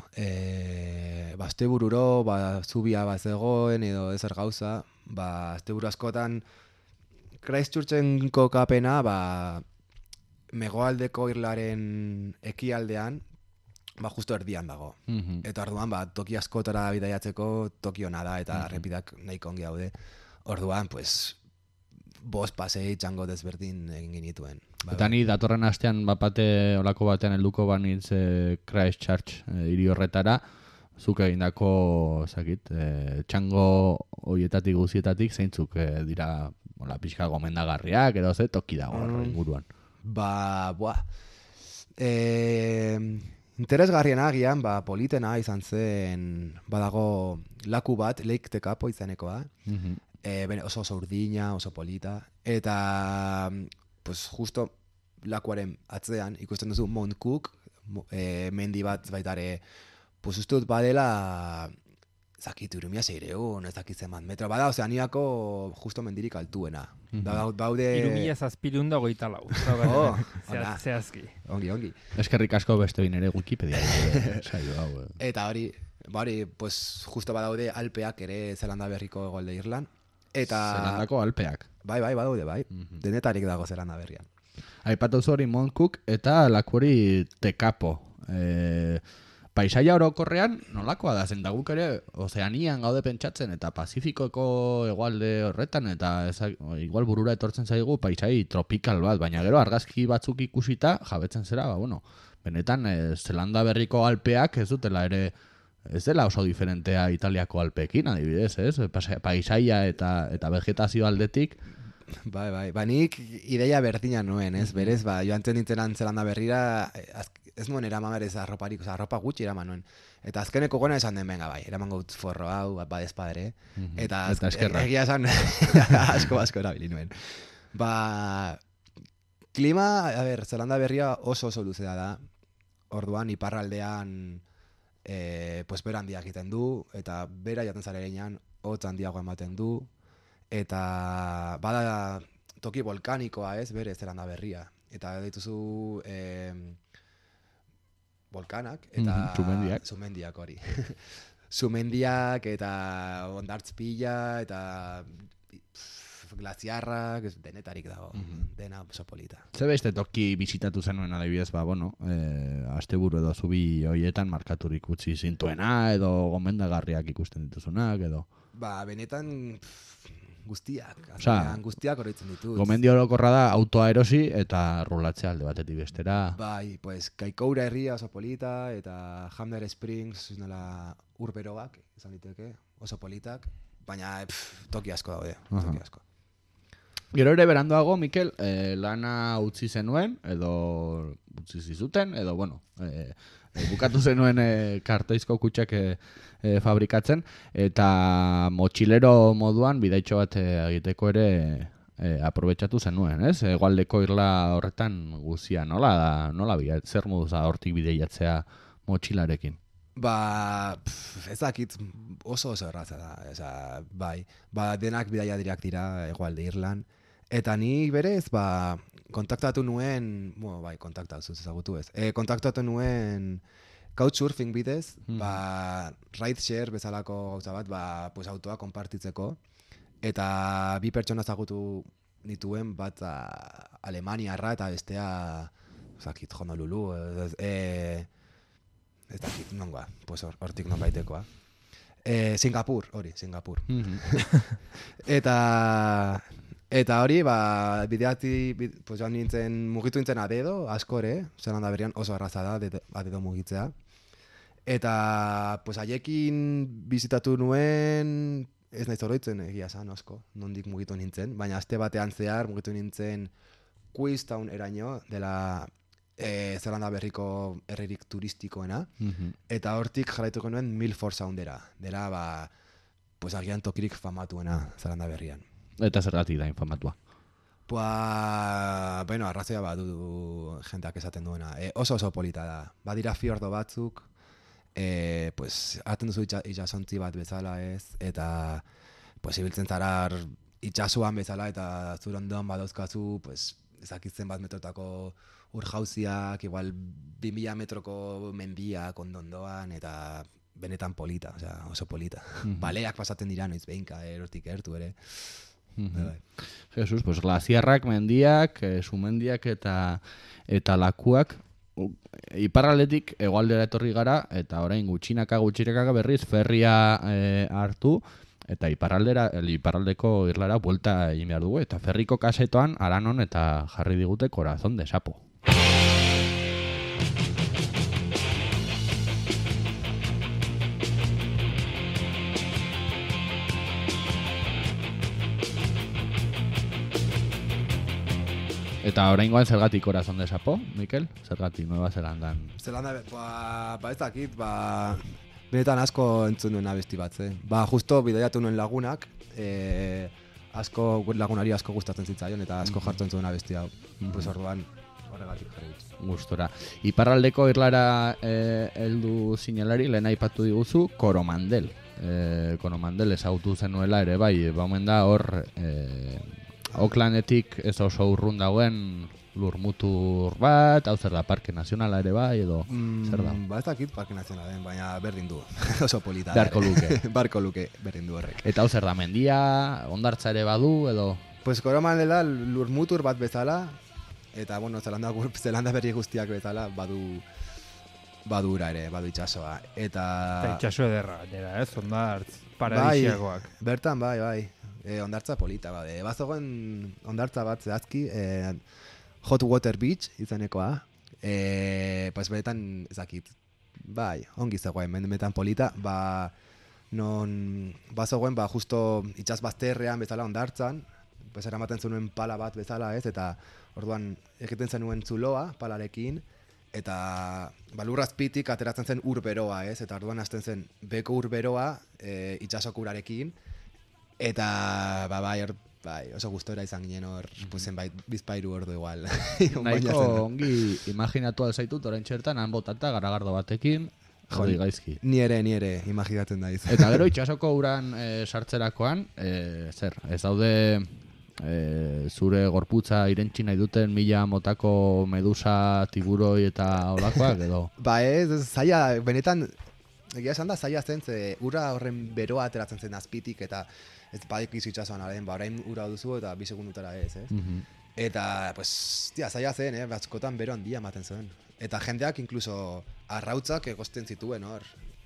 Astebururo, zubia bat zegoen edo ezer gauza, asteburu askotan, Christchurchen kokapena, megoaldeko Irlaren ekialdean, justo erdian dago. Eta orduan, toki askotara bidaiatzeko toki hona da, eta errepidak nahiko ongi daude. Orduan, pues, 5 pasei txango desberdin egin genituen. Eta ni datorren astean bapate olako batean helduko banitz Christchurch hiri horretara, zuk egindako txango hoietatik guzietatik zeintzuk dira pixka gomendagarriak edo ze toki dago inguruan. Interesgarriena agian, politena izan zen, badago laku bat, Lake Tekapo izanekoa, oso urdina, oso polita, eta pues, justo lakuaren atzean ikusten duzu Mount Cook, mendi bat baitare, pues ustut badela, zakit, 3600, ez dakit zenbat metro, bada Ozeaniako justo mendirik altuena. Baude... 3724. Zehazki. Ongi. Eskerrik asko beste bain ere Wikipedia. Eta hori, pues justo badaude Alpeak ere Zelanda Berriko hegoalde Irlan. Zelandako Alpeak. Bai, badaude, bai. Denetarik dago Zelanda Berrian. Aipatu hori Mount Cook eta laku hori Tekapo. paisaia orokorrean nolakoa da zen, da guk ere Ozeanian gaude pentsatzen eta Pazifikoko hegoalde horretan eta igual burura etortzen zaigu paisai tropikal bat, baina gero argazki batzuk ikusita jabetzen zera, benetan Zelanda Berriko Alpeak ez dutela ere, ez dela oso diferentea Italiako Alpeekin, adibidez, ez? Paisaia eta vegetazio aldetik. Bai, nik ideia berdina nuen, ez? Berez, joan zen nintzen Zelanda Berrira, ez nuen eraman berez arroparik, arropa gutxi eraman nuen. Eta azkeneko gona esan den, venga, eraman gaut forro hau, badezpadere. Eta egia esan, asko erabili nuen. Klima, Zelanda Berria oso luzea da. Orduan, iparraldean, bera handia egiten du, eta bera jaten zarenean, hotz handiago ematen du, eta bada toki volkanikoa ez, bere Zelanda Berria. Eta dituzu volkanak, eta sumendiak hori. Sumendiak, eta ondartzpila, eta glaziarrak, denetarik dago, dena oso polita. Ze beste toki bisitatu zenuen adibidez, asteburu edo zubi hoietan markaturik utzi zintuena, edo gomendagarriak ikusten dituzunak, edo? Benetan guztiak, guztiak horretzen ditut. Gomendio orokorra da autoa erosi eta rulatzea alde batetik bestera. Kaikoura herria oso polita, eta Hamner Springs, urberoak, izan diteke, oso politak, baina toki asko daude, toki asko. Gero ere beranduago, Mikel, lana utzi zenuen, edo utzi zizuten, edo, bukatu zenuen kartoizko kutxak fabrikatzen, eta motxilero moduan bidaitxo bat egiteko ere aprobetxatu zenuen, ez? Hegoaldeko irla horretan guzia, nola zer moduz hortik bideiatzea motxilarekin? Ez dakit oso erraza da, denak bidaiadirak dira hegoalde Irlan, eta ni berez, kontaktatu nuen, kontaktatu nuen couchsurfing bidez, rideshare bezalako gauza bat, autoa konpartitzeko, eta bi pertsona ezagutu nituen, bat Alemaniarra eta bestea, Honolulu, ez dakit, nongoa, hortik non baitekoa. Singapur. Eta hori, joan nintzen, mugitu nintzen adedo, askore, Zelanda Berrian oso arraza da, adedo mugitzea. Eta, haiekin bizitatu nuen, ez nahiz oroitzen egia esan asko, nondik mugitu nintzen, baina aste batean zehar mugitu nintzen Queenstown eraino, dela Zelanda Berriko herririk turistikoena, eta hortik jarraituko nuen Milford Soundera, dela, agian tokirik famatuena Zelanda Berrian. Eta zergatik da infamatua? Arrazoia badu jendeak esaten duena. Oso polita da. Badira fiordo batzuk, hartzen duzu itxasontzi bat bezala ez, eta ibiltzen zara itxasuan bezala, eta zure ondoan badauzkazu, ezakitzen bat metrotako urjauziak, igual 2000 metroko mendiak ondondoan, eta benetan polita, oso polita. Baleak pasaten dira noiz behinka, erotik ertu ere. Jesus, glaziarrak, mendiak, sumendiak eta lakuak iparraldetik hegoaldera etorri gara, eta orain gutxinaka berriz ferria hartu, eta iparraldeko irlara buelta egin behar dugu, eta ferriko kasetoan Aranon eta jarri digute Corazón de Sapo. Eta oraingoan zergatik Corazón de Sapo, Mikel? Zergatik Nueva Zelandan? Ez dakit, benetan asko entzun nuen abesti bat, justo bidaiatu nuen lagunak, lagunari asko gustatzen zitzaion, eta asko jartzen zuen abesti hau. Orduan, horregatik jarri dut. Gustora. Iparraldeko irlara heldu zinelari, lehen aipatu diguzu, Coromandel. Coromandel ezagutu zenuela ere, omen da hor... Aucklandetik ez oso urrun dagoen lurmutur bat, hau zer da, Parke Nazionala ere edo zer da? Ez dakit Parke Nazionala baina berdin du, oso polita. Beharko luke. Berdin du horrek. Eta hau zer da, mendia, ondartza ere badu, edo? Coromandela lurmutur bat bezala, eta Zelanda Berri guztiak bezala badu badura ere, badu itsasoa. Eta itxaso ederra, gainera, ez? Hondartz, paradisiakoak. Bertan, bai. Hondartza polita, bade. Bazogen hondartza bat zehazki, Hot Water Beach izanekoa. Pues benetan, ezakit, bai, ongi zegoen, benetan polita, non bazogen, justo itxas bazterrean bezala hondartzan, pues eramaten zenuen pala bat bezala, ez, eta orduan egiten zenuen zuloa palarekin, eta lurrazpitik ateratzen zen ur beroa, ez, eta orduan hasten zen beko ur beroa itxasoko urarekin, eta bai, oso gustora izan ginen hor, zenbait bizpairu ordu igual. Nahiko ongi imaginatu alzaitut orain txertan, han botata garagardo batekin, jodi gaizki. Ni ere imaginatzen daiz. Eta gero itxasoko uran sartzerakoan, ez daude zure gorputza irentzi nahi duten 1000 motako medusa, tiburoi eta olakoak edo? Ba ez, zaila, benetan, egia esan da zaila zen, ze ura horren beroa ateratzen zen azpitik, eta ez badikizu itxasoan aren, orain ura duzu eta 2 segundutara ez? Eta, pues, zaila zen, batzukotan bero handia ematen zuen. Eta jendeak inkluso arrautzak egosten zituen hor,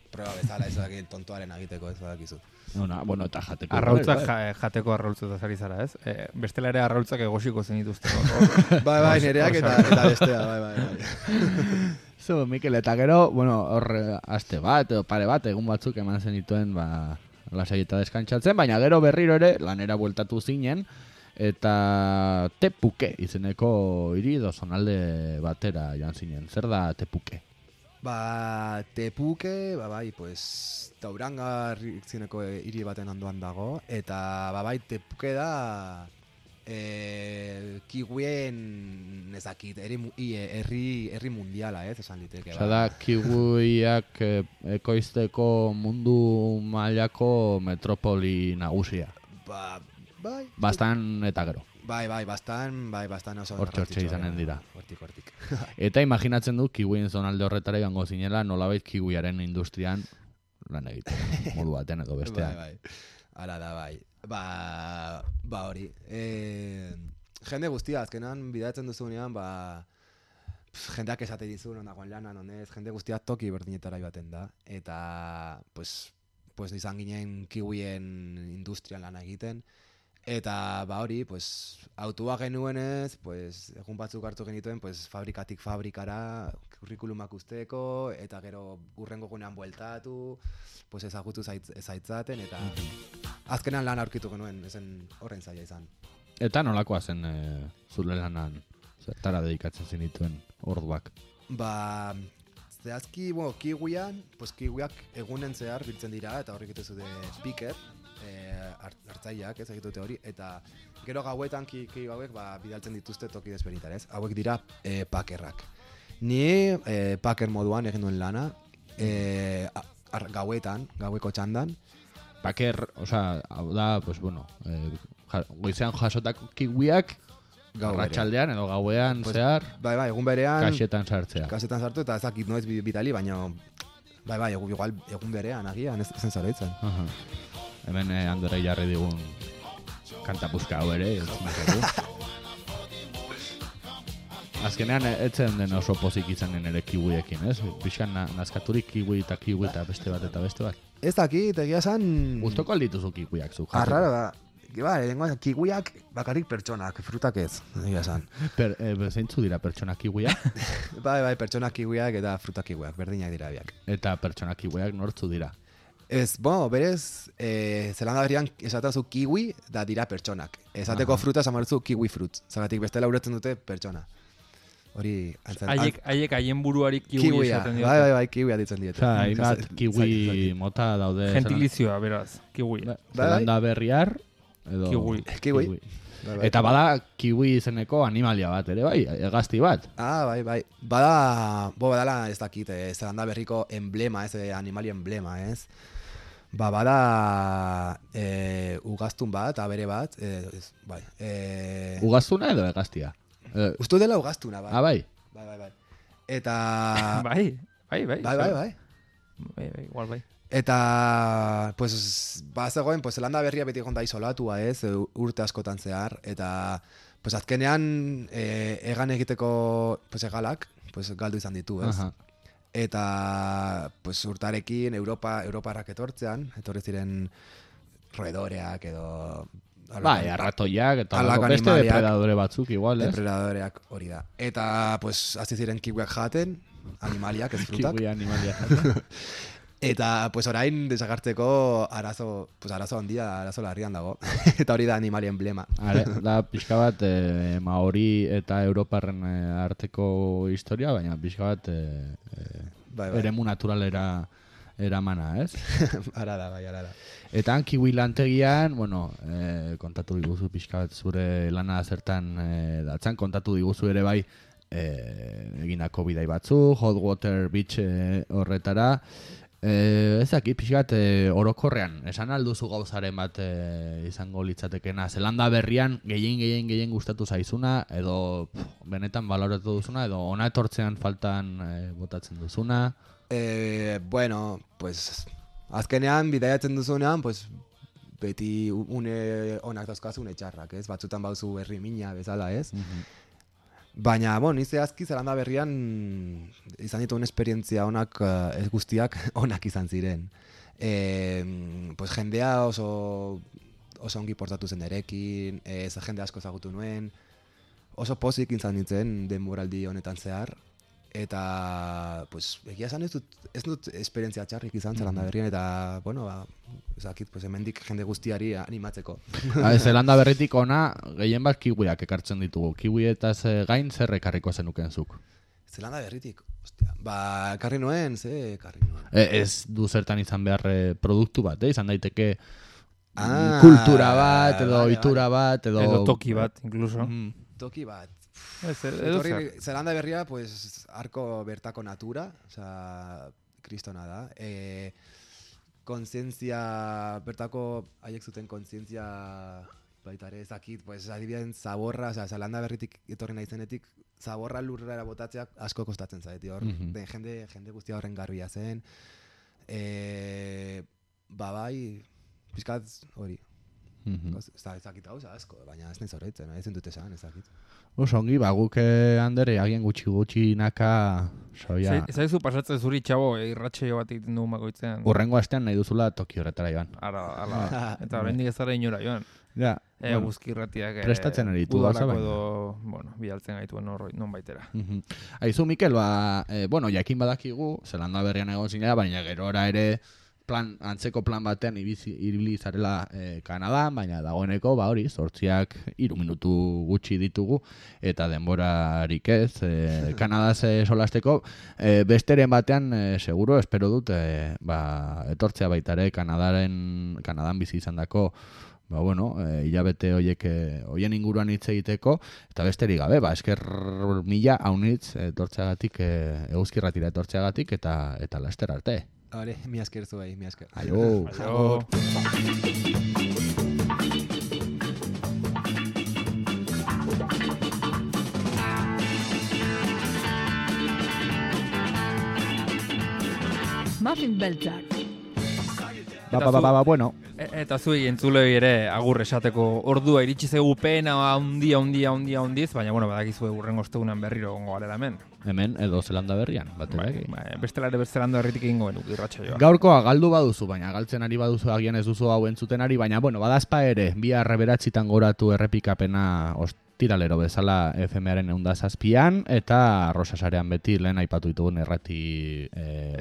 proba bezala ez tontoaren agiteko ez badakizu. Bueno, eta jateko. Arrautzak jateko arrautzuta zari zara, ez? Bestela ere arrautzak egosiko zen dituzte. Bai, nereak eta bestea, bai. Zo, Mikel, eta gero, hor aste bat, pare bat, egun batzuk eman zen dituen, lasai eta deskantzatzen, baina gero berriro ere lanera bueltatu zinen, eta Tepuke izeneko hiri edo zonalde batera joan zinen. Zer da Tepuke? Tepuke, bai, pues, Taurangar izeneko hiri baten ondoan dago, eta bai, Tepuke da kiwien ezakit, herri mundiala, esan liteke. Osa da, kiwiak ekoizteko mundu mailako metropoli nagusia. Bai. Bastan eta gero. Bai, bastan oso hortxe izanen dira. Hortik. Eta imaginatzen du kiwien zonalde horretara joango zinela nolabait kiwiaren industrian lan egiten, modu baten edo bestean. Bai. Hala da, bai. Hori. Jende guztia, azkenan bidatzen duzunean, jendeak esate dizu, non dagoen lana, nonez, jende guztia toki berdinetara joaten da. Eta, pues izan ginen kiwien industrian lan egiten. Eta, hori, pues, autua genuenez, pues, egun batzuk hartu genituen, pues, fabrikatik fabrikara, kurrikulumak usteko, eta gero urrengo gunean bueltatu, pues, ezagutu zaitzaten, eta azkenan lan aurkitu genuen, ezen horren zaila izan. Eta nolakoa zen zure lanan, zertara dedikatzen zenituen orduak? Zehazki, kiwian, pues, kiwiak egunen zehar biltzen dira, eta horrik itezu de piker, hartzaileak, ez egitute hori, eta gero gauetan kiwi hauek bidaltzen dituzte toki desberdinetara, ez? Hauek dira pakerrak. Ni paker moduan egin duen lana, gaueko txandan. Paker, hau da, pues goizean jasotako kiwiak, arratsaldean edo gauean zehar, bai, egun berean, kasetan sartzea. Kasetan sartu, eta ezakit noiz bidali, baina bai, igual egun berean agian, ez zen zaraitzen. Hemen Andorei jarri digun kantapuzka hau ere, azkenean etzen den oso pozik izanen ere kiwiekin, ez? Pixkan nazkaturik kiwi eta beste bat. Ez dakit, egia esan... Gustoko aldituzu kiwiak zu? Arraro da. Kiwiak bakarrik pertsonak, frutak ez, egia esan. Zeintzu dira pertsonak kiwiak? Bai, pertsonak kiwiak eta frutak kiwiak, berdinak dira biak. Eta pertsonak kiwiak nortzu dira? Ez, berez, Zelanda Berrian esaten zu kiwi da dira pertsonak. Esateko fruta esamartzu kiwi fruit. Zagatik bestela uretzen dute pertsona. Hori... Haiek haien buruari kiwi esaten diote. Bai, kiwi aditzen diote. Hainbat kiwi mota daude. Gentilizioa, beraz, kiwi. Zelanda Berriar edo... Kiwi. Eta bada kiwi izeneko animalia bat ere, bai, hegazti bat. Bai. Badala ez dakit, Zelanda Berriko emblema, animalia emblema, ez? Bada ugaztun bat, abere bat, bai. Ugaztuna edo hegaztia? Ustu dela ugaztuna, bai. Bai. Bai. Eta... Bai. Igual bai. Eta, pues, zegoen, pues, Zelanda Berria beti egon da isolatua, ez, urte askotan zehar, eta, pues, azkenean, egan egiteko, pues, egalak, pues, galdu izan ditu, ez. Eta pues urtarekin Europarrak etorri ziren roedoreak edo Bai, arratoiak eta halako beste animaliak, depredadore batzuk igual, ez? depredadoreak hori da. Eta pues hasi ziren kiwiak jaten, animaliak, ez frutak. Kiwi animaliak jaten. Eta pues orain desagartzeko arazo handia, arazo larrian dago. Eta hori da animali emblema. Da pixka bat Maori eta Europarren arteko historia, baina pixka bat Bai. eremu naturalera eramana, ez? Ara da. Eta han kiwi lantegian, bueno, kontatu diguzu pixka bat zure lana zertan datzan, kontatu diguzu ere bai egindako bidai batzu, Hot Water Beach horretara. Ezakit, pixkat orokorrean, esan alduzu gauzaren bat izango litzatekena. Zelanda berrian gehien gustatu zaizuna, edo benetan baloratu duzuna, edo ona etortzean faltan botatzen duzuna. Bueno, pues azkenean bidaiatzen duzunean, pues beti une onak dauzkazu, une txarrak, ez? Batzutan bauzu herri mina bezala, ez? Baina, bon, zehazki Zelanda berrian izan dituen esperientzia onak, ez guztiak onak izan ziren. Pues jendea oso ongi portatu zen erekin, jende asko ezagutu nuen, oso pozik izan nintzen denboraldi honetan zehar, eta pues egia esan ez dut esperientzia txarrik izan Zelanda berrian, eta bueno, ezakit, pues hemendik jende guztiari animatzeko. Zelanda berritik ona gehien bat kiwiak ekartzen ditugu. Kiwietaz gain zer ekarriko zenuken zuk? Zelanda berritik, ostia, ekarri nuen. Ez du zertan izan behar produktu bat, izan daiteke kultura bat, edo ohitura bat, edo toki bat, incluso. Toki bat. Zelanda berria, pues, arko bertako natura, kristona da. Kontzientzia, bertako haiek zuten kontzientzia baita ere ezakit, pues, adibideen zaborra, Zelanda berritik etorri naizenetik, zaborra lurrera botatzeak asko kostatzen zaiti hor. Jende guztia horren garbia zen. Bai, pizkat hori. Ezakit hau asko, baina ez nahi zorretzen, ez dut esan, ezakit. Oso ongi, guk Andere agien gutxi naka soia. Ezaizu pasatzen zuri txabo irratxeio bat egiten dugu makoitzean. Urrengo astean nahi duzula Toki horretara joan. Ara. Eta oraindik ez zara inora joan. Ja. Guzki irratiak prestatzen eritu gauza baina. Edo, bidaltzen gaituen non baitera. Aizu, Mikel, jakin badakigu, Zelanda berrian egon zinera, baina gerora ere antzeko plan batean ibili zarela Kanadan, baina dagoeneko, hori, 3 minutu gutxi ditugu, eta denborarik ez, Kanadaz solasteko, besteren batean, seguro, espero dut, etortzea baitare Kanadan bizi izan dako, hilabete hoien inguruan hitz egiteko, eta besterik gabe, esker mila haunitz etortzeagatik, eguzkirratira etortzeagatik, eta laster arte. Hore, mi esker zuei, mi esker. Aio. Muffin beltzak. Bueno. Eta zuei entzulei ere agur esateko ordua iritsi zegu pena handiz, baina badakizu hurrengo ostegunan berriro egongo garela hemen. Hemen edo Zelanda berrian, Bestela ere Zelanda berritik egingo genuk irratsaioa. Gaurkoa galdu baduzu, baina galtzen ari baduzu agian ez duzu hau entzuten ari, baina badazpa ere, 2:09 goratu errepikapena tiralero bezala FM-aren 107an, eta Arrosasarean beti lehen aipatu ditugun errati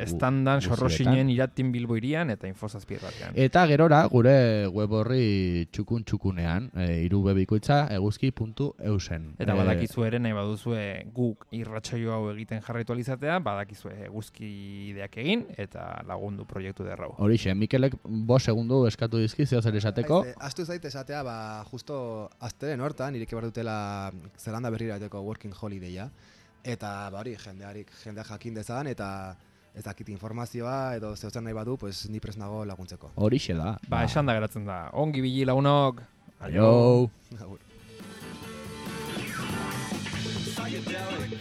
estandan, Sorrosinen, Iratin, Bilbo irian, eta Infozazpi erratian. Eta gerora, gure web horri txukunean, 3 bebikoitza, eguzki.eusen. Eta badakizu ere, nahi baduzue guk irratsaio hau egiten jarraitu alizatea, badakizue eguzki ideak egin, eta lagundu proiektu derrau. Horixe, Mikelek 5 segundu eskatu dizki, zeo zer esateko. Astu zait esatea, justo azteren hortan, ireki behar dutela Zelanda berrira eteko working holiday-a, eta hori, jendea jakin dezan, eta ez dakit informazioa, edo zeutzen nahi badu, pues ni prest nago laguntzeko. Horixe da. Esan da geratzen da. Ongi bili lagunok. Aio. Psychedelic